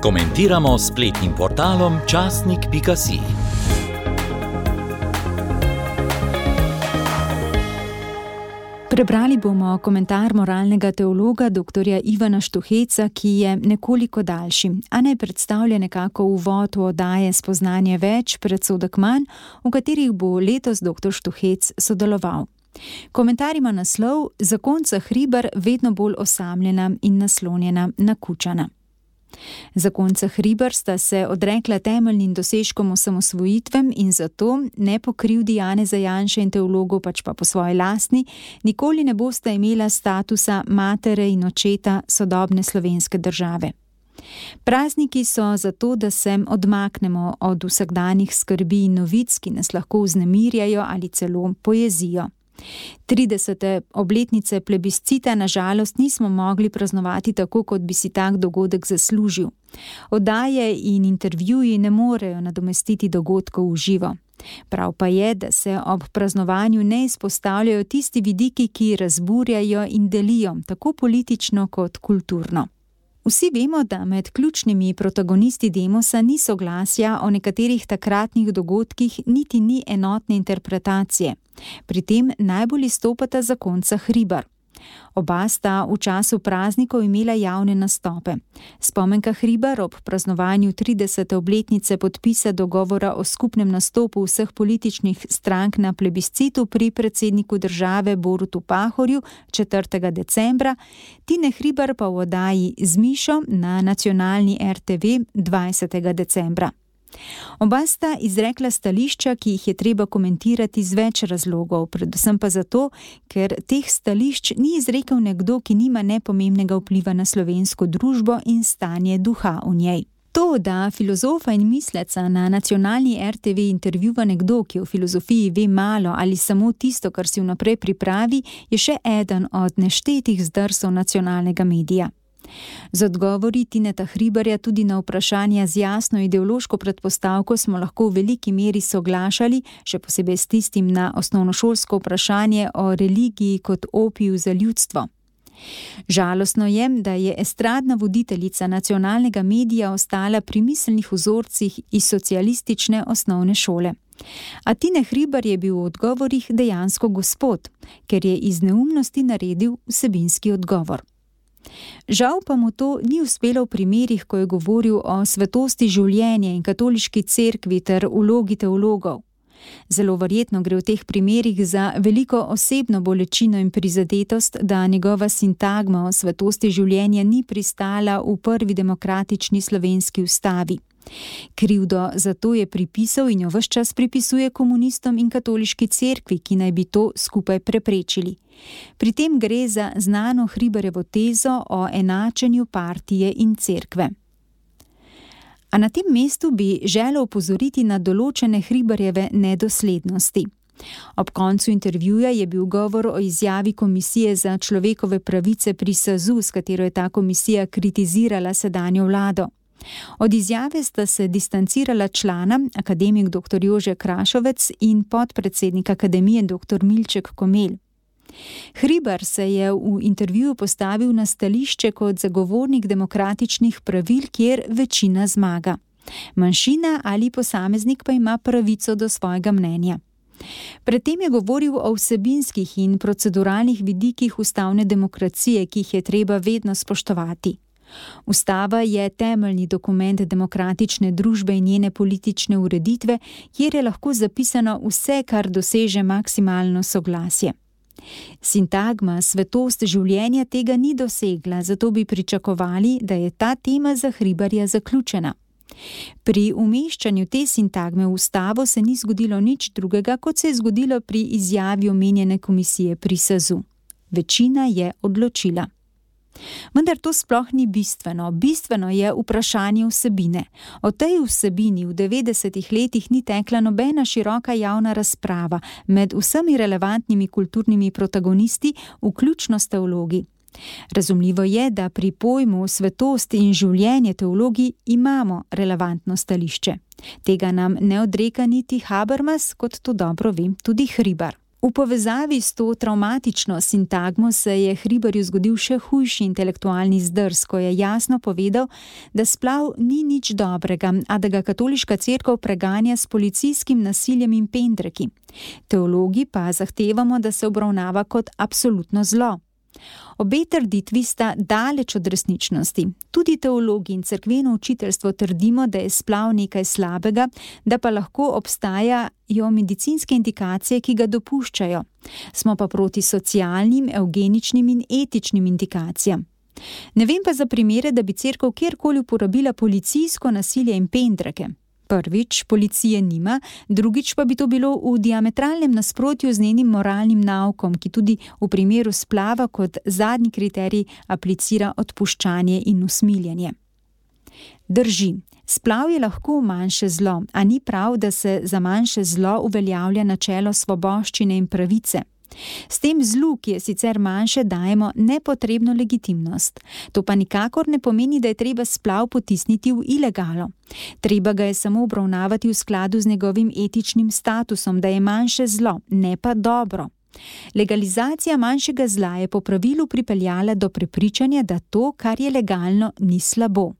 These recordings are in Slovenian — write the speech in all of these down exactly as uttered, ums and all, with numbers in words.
Komentiramo s spletnim portalom časnik pika si. Prebrali bomo komentar moralnega teologa doktorja Ivana Štuheca, ki je nekoliko daljši, a ne predstavlja nekako uvod v oddaje Spoznanje več, predsodek manj, v katerih bo letos doktor Štuhec sodeloval. Komentar ima naslov Zakonca Hribar vedno bolj osamljena in naslonjena na Kučana. Zakonca Hribar sta se odrekla temeljnim dosežkom osamosvojitvem in zato, ne po krivdi Janeza Janše in teologov, pač pa po svoji lastni, nikoli ne bosta imela statusa matere in očeta sodobne slovenske države. Prazniki so zato, da se odmaknemo od vsakdanjih skrbi in novic, ki nas lahko vznemirjajo ali celo pojezijo. tridesete obletnice plebiscita na žalost nismo mogli praznovati tako, kot bi si tak dogodek zaslužil. Oddaje in intervjuji ne morejo nadomestiti dogodkov v živo. Prav pa je, da se ob praznovanju ne izpostavljajo tisti vidiki, ki razburjajo in delijo, tako politično kot kulturno. Vsi vemo, da med ključnimi protagonisti demosa ni soglasja o nekaterih takratnih dogodkih, niti ni enotne interpretacije. Pri tem najbolj izstopata zakonca Hribar. Oba sta v času praznikov imela javne nastope. Spomenka Hribar ob praznovanju tridesete obletnice podpisa dogovora o skupnem nastopu vseh političnih strank na plebiscitu pri predsedniku države Borutu Pahorju četrtega decembra, Tine Hribar pa v oddaji Z Mišo na nacionalni er te ve dvajsetega decembra. Oba sta izrekla stališča, ki jih je treba komentirati z več razlogov, predvsem pa zato, ker teh stališč ni izrekel nekdo, ki nima nepomembnega vpliva na slovensko družbo in stanje duha v njej. To, da filozofa in misleca na nacionalni er te ve intervjuva nekdo, ki o filozofiji ve malo ali samo tisto, kar si vnaprej pripravi, je še eden od neštetih zdrsov nacionalnega medija. Z odgovori Tineta Hribarja tudi na vprašanja z jasno ideološko predpostavko smo lahko v veliki meri soglašali, še posebej s tistim na osnovnošolsko vprašanje o religiji kot opiju za ljudstvo. Žalostno je, da je estradna voditeljica nacionalnega medija ostala pri miselnih vzorcih iz socialistične osnovne šole. A Tine Hribar je bil v odgovorih dejansko gospod, ker je iz neumnosti naredil vsebinski odgovor. Žal pa mu to ni uspelo v primerih, ko je govoril o svetosti življenja in katoliški cerkvi ter vlogi teologov. Zelo verjetno gre v teh primerih za veliko osebno bolečino in prizadetost, da njegova sintagma o svetosti življenja ni pristala v prvi demokratični slovenski ustavi. Krivdo za to je pripisal in jo ves čas pripisuje komunistom in katoliški cerkvi, ki naj bi to skupaj preprečili. Pri tem gre za znano Hribarjevo tezo o enačenju partije in cerkve. A na tem mestu bi želel opozoriti na določene Hribarjeve nedoslednosti. Ob koncu intervjuja je bil govor o izjavi Komisije za človekove pravice pri es a zu, s katero je ta komisija kritizirala sedanjo vlado. Od izjave sta se distancirala člana, akademik doktor Jože Krašovec in podpredsednik akademije doktor Milček Komelj. Hribar se je v intervjuju postavil na stališče kot zagovornik demokratičnih pravil, kjer večina zmaga. Manjšina ali posameznik pa ima pravico do svojega mnenja. Predtem je govoril o vsebinskih in proceduralnih vidikih ustavne demokracije, ki jih je treba vedno spoštovati. Ustava je temeljni dokument demokratične družbe in njene politične ureditve, kjer je lahko zapisano vse, kar doseže maksimalno soglasje. Sintagma svetost življenja tega ni dosegla, zato bi pričakovali, da je ta tema za Hribarja zaključena. Pri umeščanju te sintagme v ustavo se ni zgodilo nič drugega, kot se je zgodilo pri izjavi omenjene komisije pri es a zu. Večina je odločila. Vendar to sploh ni bistveno. Bistveno je vprašanje vsebine. O tej vsebini v devetdesetih letih ni tekla nobena široka javna razprava med vsemi relevantnimi kulturnimi protagonisti, vključno s teologi. Razumljivo je, da pri pojmu svetost in življenje teologi imamo relevantno stališče. Tega nam ne odreka niti Habermas, kot to dobro vem tudi Hribar. V povezavi s to travmatično sintagmo se je Hribarju zgodil še hujši intelektualni zdrs, ko je jasno povedal, da splav ni nič dobrega, a da ga katoliška cerkev preganja s policijskim nasiljem in pendreki. Teologi pa zahtevamo, da se obravnava kot absolutno zlo. Obe trditvi sta daleč od resničnosti. Tudi teologi in cerkveno učiteljstvo trdimo, da je splav nekaj slabega, da pa lahko obstajajo medicinske indikacije, ki ga dopuščajo. Smo pa proti socialnim, evgeničnim in etičnim indikacijam. Ne vem pa za primere, da bi cerkev kjerkoli uporabila policijsko nasilje in pendreke. Prvič, policije nima, drugič pa bi to bilo v diametralnem nasprotju z njenim moralnim naukom, ki tudi v primeru splava kot zadnji kriterij aplicira odpuščanje in usmiljenje. Drži, splav je lahko manjše zlo, a ni prav, da se za manjše zlo uveljavlja načelo svoboščine in pravice. S tem zlu, ki je sicer manjše, dajemo nepotrebno legitimnost. To pa nikakor ne pomeni, da je treba splav potisniti v ilegalo. Treba ga je samo obravnavati v skladu z njegovim etičnim statusom, da je manjše zlo, ne pa dobro. Legalizacija manjšega zla je po pravilu pripeljala do prepričanja, da to, kar je legalno, ni slabo.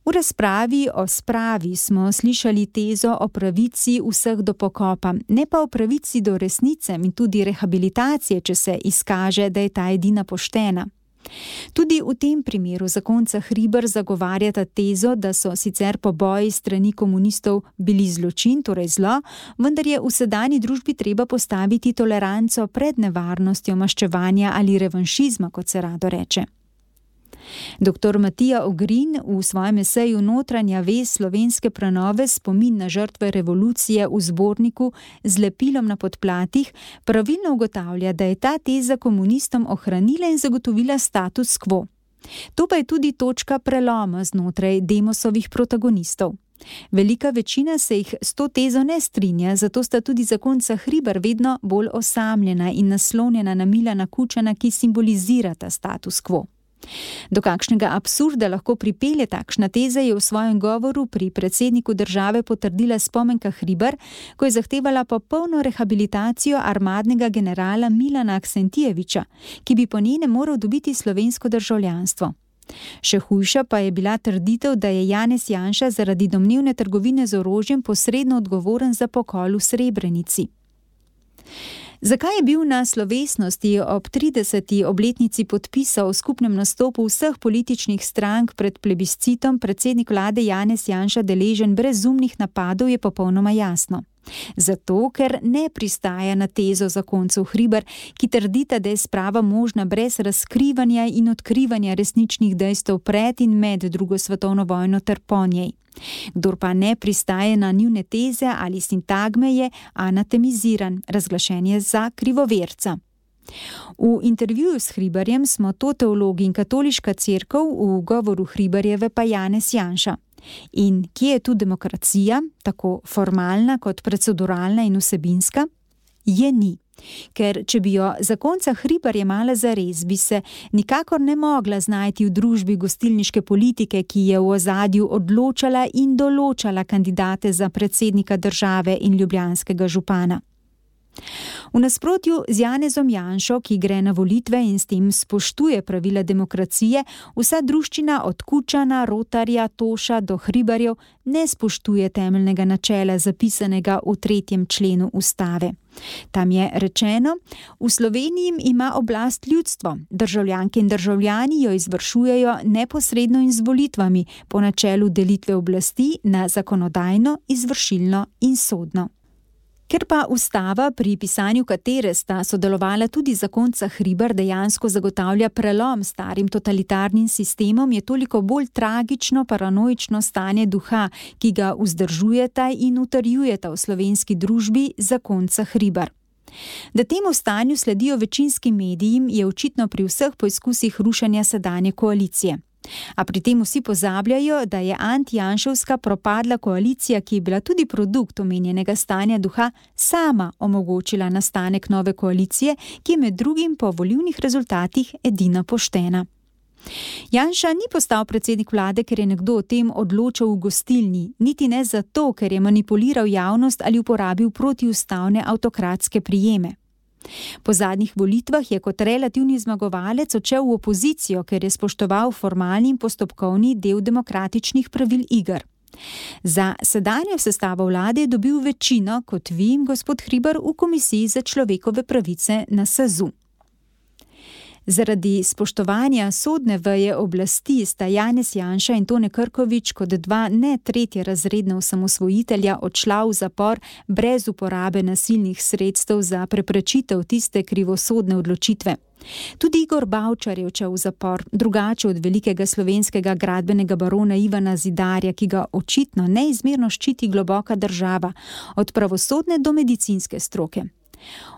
V razpravi o spravi smo slišali tezo o pravici vseh do pokopa, ne pa o pravici do resnice in tudi rehabilitacije, če se izkaže, da je ta edina poštena. Tudi v tem primeru zakonca Hribar zagovarjata tezo, da so sicer poboji strani komunistov bili zločin, torej zlo, vendar je v sedanji družbi treba postaviti toleranco pred nevarnostjo maščevanja ali revanšizma, kot se rado reče. Doktor Matija Ogrin v svojem eseju Notranja vez slovenske prenove spomin na žrtve revolucije v zborniku z lepilom na podplatih pravilno ugotavlja, da je ta teza komunistom ohranila in zagotovila status quo. To pa je tudi točka preloma znotraj Demosovih protagonistov. Velika večina se jih s to tezo ne strinja, zato sta tudi zakonca Hribar vedno bolj osamljena in naslonjena na Milana Kučana, ki simbolizirata status quo. Do kakšnega absurda lahko pripelje takšna teza, je v svojem govoru pri predsedniku države potrdila Spomenka Hribar, ko je zahtevala popolno rehabilitacijo armadnega generala Milana Aksentijeviča, ki bi po njenem moral dobiti slovensko državljanstvo. Še hujša pa je bila trditev, da je Janez Janša zaradi domnevne trgovine z orožjem posredno odgovoren za pokol v Srebrenici. Zakaj je bil na slovesnosti ob trideseti obletnici podpisa o skupnem nastopu vseh političnih strank pred plebiscitom predsednik vlade Janez Janša deležen brezumnih napadov, je popolnoma jasno. Zato, ker ne pristaja na tezo zakoncev Hribar, ki trdita, da je sprava možna brez razkrivanja in odkrivanja resničnih dejstev pred in med drugo svetovno vojno ter po njej. Kdor pa ne pristaje na njune teze ali sintagme, je anatemiziran, razglašen je za krivoverca. V intervjuju s Hribarjem smo to teologi in katoliška cerkev, v govoru Hribarjeve pa Janez Janša. In kje je tu demokracija, tako formalna kot proceduralna in vsebinska? Je ni. Ker če bi jo zakonca Hribar jemala zares, bi se nikakor ne mogla znajti v družbi gostilniške politike, ki je v ozadju odločala in določala kandidate za predsednika države in ljubljanskega župana. V nasprotju z Janezom Janšo, ki gre na volitve in s tem spoštuje pravila demokracije, vsa druščina od Kučana, Rotarja, Toša do Hribarjev ne spoštuje temeljnega načela zapisanega v tretjem členu ustave. Tam je rečeno, v Sloveniji ima oblast ljudstvo, državljanke in državljani jo izvršujejo neposredno in z volitvami po načelu delitve oblasti na zakonodajno, izvršilno in sodno. Ker pa ustava, pri pisanju katere sta sodelovala tudi zakonca Hribar, dejansko zagotavlja prelom starim totalitarnim sistemom, je toliko bolj tragično paranoično stanje duha, ki ga vzdržujeta in utrjujeta v slovenski družbi zakonca Hribar. Da temu stanju sledijo večinski mediji, je očitno pri vseh poizkusih rušenja sedanje koalicije. A pri tem vsi pozabljajo, da je antijanševska propadla koalicija, ki je bila tudi produkt omenjenega stanja duha, sama omogočila nastanek nove koalicije, ki je med drugim po volilnih rezultatih edina poštena. Janša ni postal predsednik vlade, ker je nekdo o tem odločal v gostilni, niti ne zato, ker je manipuliral javnost ali uporabil protiustavne avtokratske prijeme. Po zadnjih volitvah je kot relativni zmagovalec odšel v opozicijo, ker je spoštoval formalni in postopkovni del demokratičnih pravil iger. Za sedanjo sestavo vlade je dobil večino, kot vi, gospod Hribar, v Komisiji za človekove pravice na SAZU. Zaradi spoštovanja sodne veje oblasti sta Janez Janša in Tone Krkovič kot dva ne tretje razredna osamosvojitelja odšla v zapor brez uporabe nasilnih sredstev za preprečitev tiste krivosodne odločitve. Tudi Igor Bavčar je odšel v zapor, drugače od velikega slovenskega gradbenega barona Ivana Zidarja, ki ga očitno neizmerno ščiti globoka država, od pravosodne do medicinske stroke.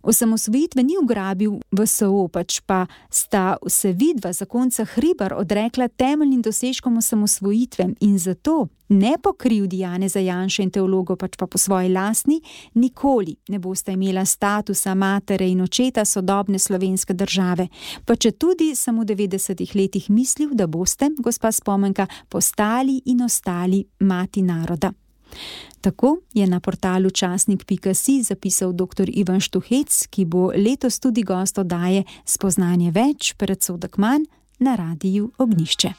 Osamosvojitve ni ugrabil V S O, pač pa sta se vidva zakonca Hribar odrekla temeljnim dosežkom osamosvojitve in zato ne po krivdi Janeza Janše in teologov, pač pa po svoji lastni, nikoli ne bosta imela statusa matere in očeta sodobne slovenske države, pa če tudi samo v devetdesetih letih mislil, da boste, gospa Spomenka, postali in ostali mati naroda. Tako je na portalu časnik pika si zapisal doktor Ivan Štuhec, ki bo letos tudi gost oddaje Spoznanje več, predsodek manj na Radiu Ognjišče.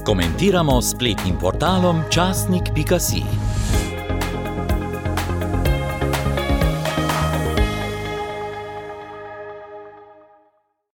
Komentiramo s spletnim portalom časnik pika si.